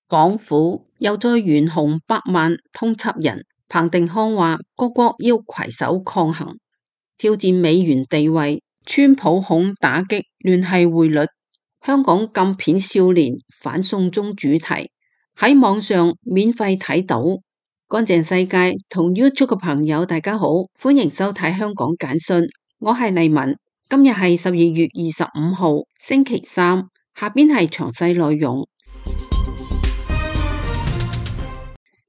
港府又再懸紅百萬通緝人，彭定康話各國要攜手抗衡，挑戰美元地位。川普恐打擊聯繫匯率。香港禁片少年反送中主題喺網上免費睇到。乾淨世界同 YouTube 嘅朋友大家好，歡迎收睇香港簡訊，我係麗文。今日係12月25號星期三，下邊係詳細內容。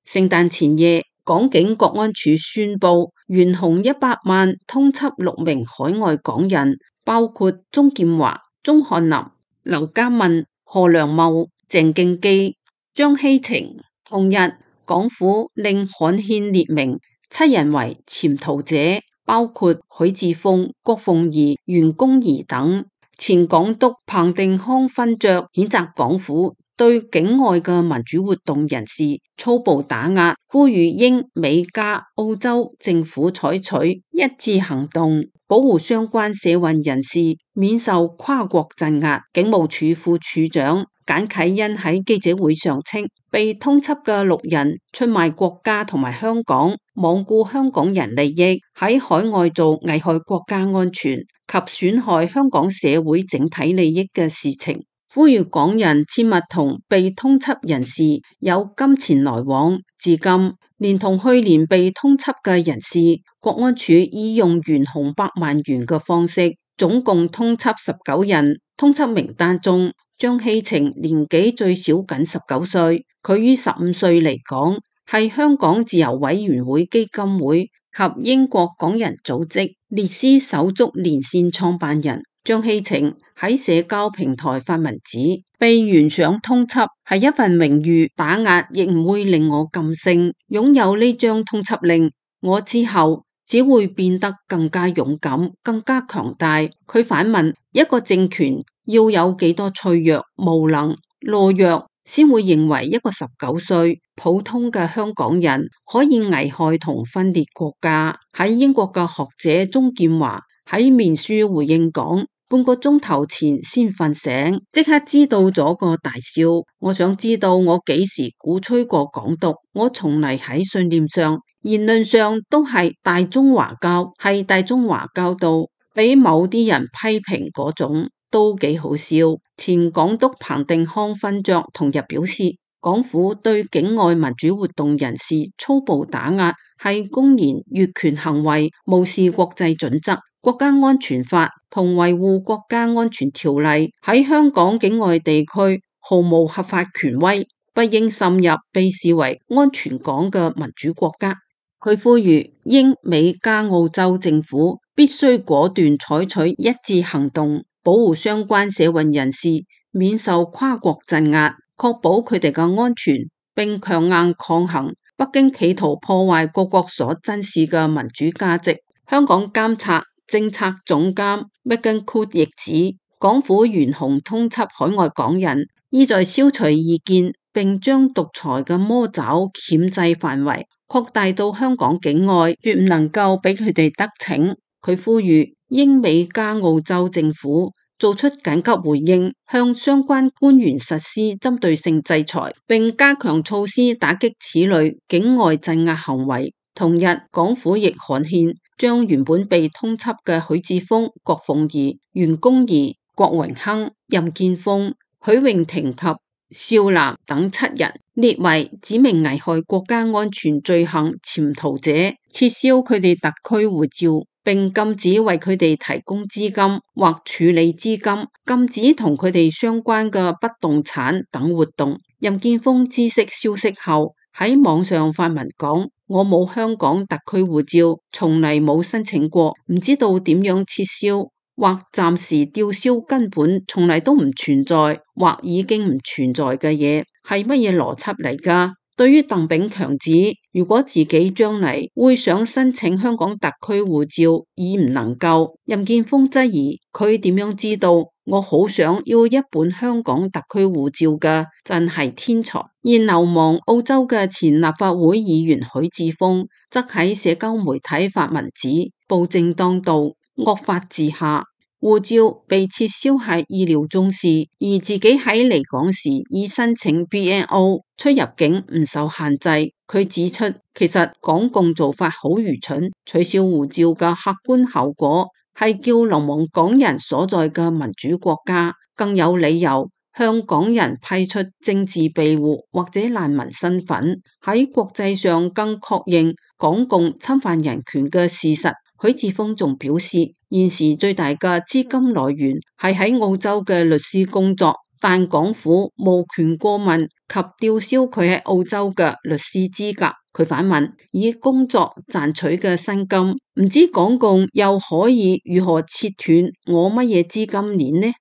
聖誕前夜，港警國安處宣布懸紅100萬通緝6名海外港人，包括鍾劍華、鍾漢林、劉嘉敏、何良茂、鄭敬基、張希晴。同日，港府令刊憲列明7人為潛逃者，包括許智峰、郭鳳儀、袁弓夷等。前港督彭定康勳爵譴責港府對境外嘅民主活動人士粗暴打壓，呼籲英美加澳洲政府採取一致行動，保護相關社運人士免受跨國鎮壓。警務處副處長簡啟恩喺記者會上稱，被通緝嘅6人出賣國家同埋香港，罔顧香港人利益，喺海外做危害國家安全及損害香港社會整體利益嘅事情，呼籲港人切勿同被通緝人士有金錢來往。至今，連同去年被通緝嘅人士，國安處以用懸紅100萬元嘅方式，總共通緝19人。通緝名單中，張希晴年紀最少僅19歲，佢於15歲嚟港，係香港自由委員會基金會及英國港人組織列斯手足連線創辦人。張希晴喺社交平台發文指，被懸賞通緝係一份榮譽，打壓亦唔會令我噤聲。擁有呢張通緝令，我之後只會變得更加勇敢，更加強大。佢反問，一個政權要有幾多脆弱、無能、懦弱，先會認為一個19歲普通嘅香港人可以危害同分裂國家。喺英國嘅學者鍾劍華喺面書回應講，半個鐘頭前先瞓醒，即刻知道咗個大笑。我想知道我幾時鼓吹過港獨？我從嚟喺信念上、言論上都係大中華膠，係大中華膠到俾某啲人批評嗰種，都幾好笑。前港督彭定康勳爵同日表示，港府對境外民主活動人士粗暴打壓係公然越權行為，無視國際準則、國家安全法同維護國家安全條例，喺香港境外地區毫無合法權威，不應滲入被視為安全港嘅民主國家。佢呼籲英美加澳洲政府必須果斷採取一致行動，保護相關社運人士免受跨國鎮壓，確保佢哋嘅安全，並強硬抗衡北京企圖破壞各國所珍視嘅民主價值。香港監察政策總監 Megan Cook 亦指，港府懸紅通緝海外港人，意在消除異見，並將獨裁嘅魔爪鉗制範圍擴大到香港境外，絕唔能夠俾佢哋得逞。佢呼籲英美加澳洲政府做出緊急回應，向相關官員實施針對性制裁，並加強措施打擊此類境外鎮壓行為。同日，港府亦刊憲，將原本被通緝嘅許智峰、郭鳳儀、袁弓夷、郭榮鏗、任建峰、許穎婷及邵嵐等7人列為指明危害國家安全罪行潛逃者，撤銷佢哋特區護照，並禁止為佢哋提供資金或處理資金，禁止同佢哋相關嘅不動產等活動。任建峰知悉消息後喺網上發文講，我冇香港特區護照，從嚟冇申請過，唔知道點樣撤銷或暫時吊銷根本從嚟都唔存在或已經唔存在嘅嘢，係乜嘢邏輯嚟㗎？對於鄧炳強指，如果自己將嚟會想申請香港特區護照而唔能夠，任建峰質疑佢點樣知道我好想要一本香港特區護照㗎，真係天才。而流亡澳洲嘅前立法會議員許智峰則喺社交媒體發文指，暴政當道，惡法治下，護照被撤銷係意料中事，而自己喺離港時已申請 BNO， 出入境唔受限制。佢指出，其實港共做法好愚蠢，取消護照嘅客觀效果係叫流亡港人所在嘅民主國家更有理由向港人批出政治庇護或者難民身份，喺國際上更確認港共侵犯人權嘅事實。許智峰仲表示，現時最大嘅資金來源係喺澳洲嘅律師工作，但港府無權過問及吊銷佢喺澳洲嘅律師資格。佢反問，以工作賺取嘅薪金，唔知港共又可以如何切斷我乜嘢資金鏈呢？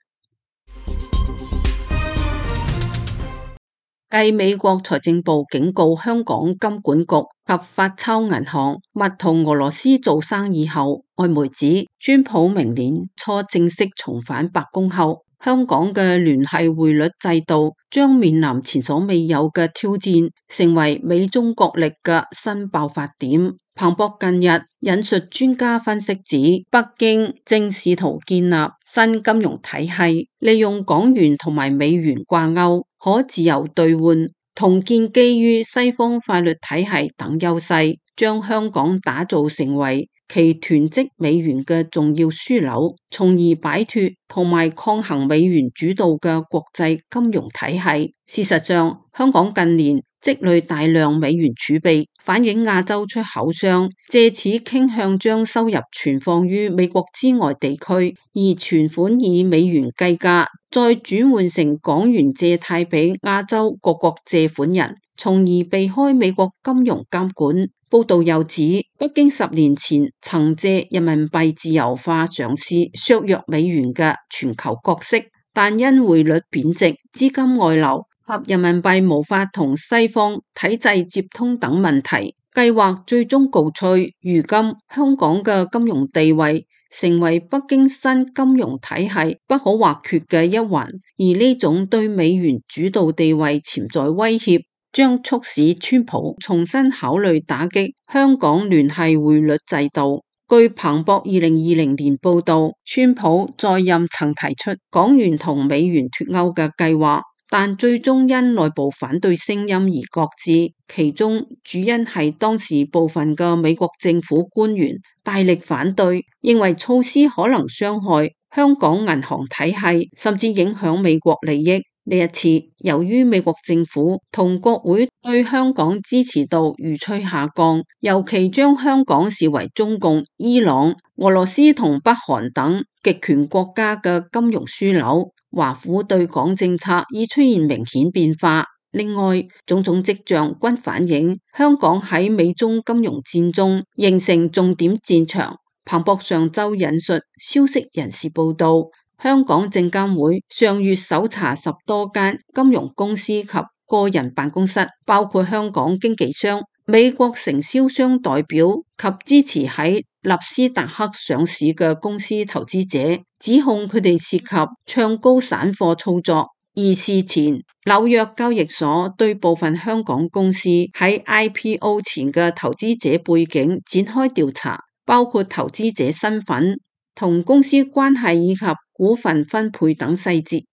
繼美國財政部警告香港金管局及發鈔銀行勿同俄羅斯做生意後，外媒指川普明年初正式重返白宮後，香港嘅聯繫匯率制度將面臨前所未有嘅挑戰，成為美中角力嘅新爆發點。彭博近日引述專家分析指，北京正試圖建立新金融體系，利用港元同埋美元掛鈎，可自由兌換，同建基於西方法律體系等優勢，將香港打造成為其囤積美元嘅重要樞紐，從而擺脫同埋抗衡美元主導嘅國際金融體系。事實上，香港近年積累大量美元儲備，反映亞洲出口商借此傾向將收入存放於美國之外地區，而存款以美元計價，再轉換成港元借貸俾亞洲各國借款人，從而避開美國金融監管。報道又指，北京10年前曾借人民幣自由化嘗試削弱美元嘅全球角色，但因匯率貶值、資金外流及人民幣無法同西方體制接通等問題，計劃最終告吹。如今香港嘅金融地位成為北京新金融體系不可或缺嘅一環，而呢種對美元主導地位潛在威脅，將促使川普重新考慮打擊香港聯繫匯率制度。據彭博2020年報道，川普在任曾提出港元同美元脫鈎嘅計劃，但最終因內部反對聲音而擱置，其中主因係當時部分嘅美國政府官員大力反對，認為措施可能傷害香港銀行體系，甚至影響美國利益。呢一次，由於美國政府同國會對香港支持度如趨下降，尤其將香港視為中共、伊朗、俄羅斯同北韓等極權國家嘅金融樞紐，華府對港政策已出現明顯變化。另外，種種跡象均反映香港喺美中金融戰中形成重點戰場。彭博上週引述消息人士報道，香港證監會上月搜查10多間金融公司及個人辦公室，包括香港經紀商、美國承銷商代表及支持喺納斯達克上市嘅公司投資者，指控佢哋涉及唱高散貨操作。而事前，紐約交易所對部分香港公司喺 IPO 前嘅投資者背景展開調查，包括投資者身份、同公司關係以及股份分配等細節。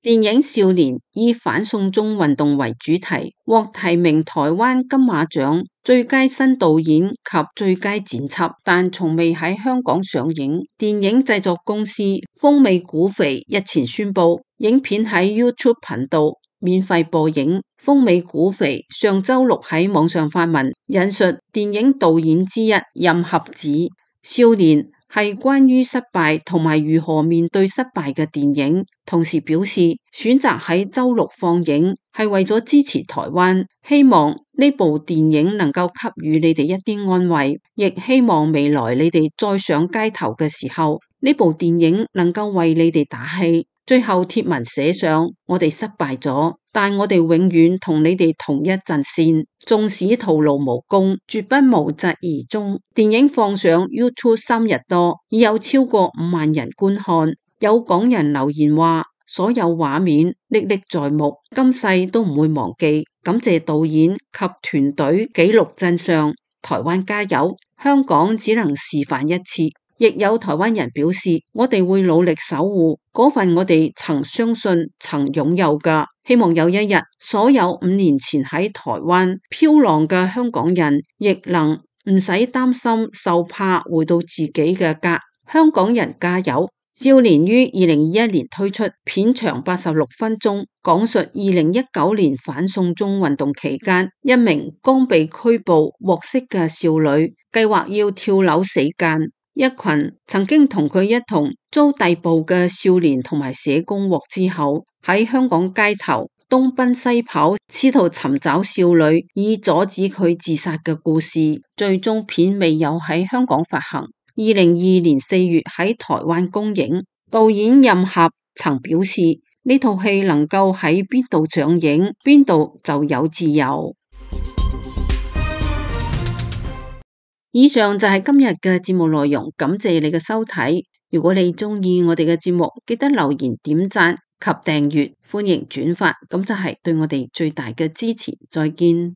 電影《少年》以反送中運動為主題，獲提名台灣金馬獎最佳新導演及最佳剪輯，但從未喺香港上映。電影製作公司豐美股肥日前宣布，影片喺 YouTube 頻道免費播映。豐美股肥上週六喺網上發文，引述電影導演之一任合指，《少年》係關於失敗同埋如何面對失敗嘅電影，同時表示選擇喺週六放映係為咗支持台灣，希望呢部電影能夠給予你哋一啲安慰，亦希望未來你哋再上街頭嘅時候，呢部電影能夠為你哋打氣。最後貼文寫上：我哋失敗咗，但我哋永遠同你哋同一陣線，縱使徒勞無功，絕不無疾而終。電影放上 YouTube 3日多，已有超過5萬人觀看。有港人留言話：所有畫面歷歷在目，今世都唔會忘記。感謝導演及團隊記錄真相。台灣加油，香港只能示範一次。亦有台灣人表示：我哋會努力守護嗰份我哋曾相信、曾擁有㗎。希望有一日，所有5年前喺台灣飄浪嘅香港人，亦能唔使擔心受怕回到自己嘅家。香港人加油！少年於2021年推出片長86分鐘，講述2019年反送中運動期間，一名剛被拘捕獲釋嘅少女，計劃要跳樓死間。一群曾經同佢一同遭逮捕嘅少年同埋社工獲之後，喺香港街頭東奔西跑，試圖尋找少女以阻止佢自殺嘅故事。最終片未有喺香港發行，2022年4月喺台灣公映。導演任俠曾表示：呢套戲能夠喺邊度上映，邊度就有自由。以上就係今日嘅節目內容，感謝你嘅收睇。如果你鍾意我哋嘅節目，記得留言、點讚及訂閱，歡迎轉發，咁就係對我哋最大嘅支持。再見。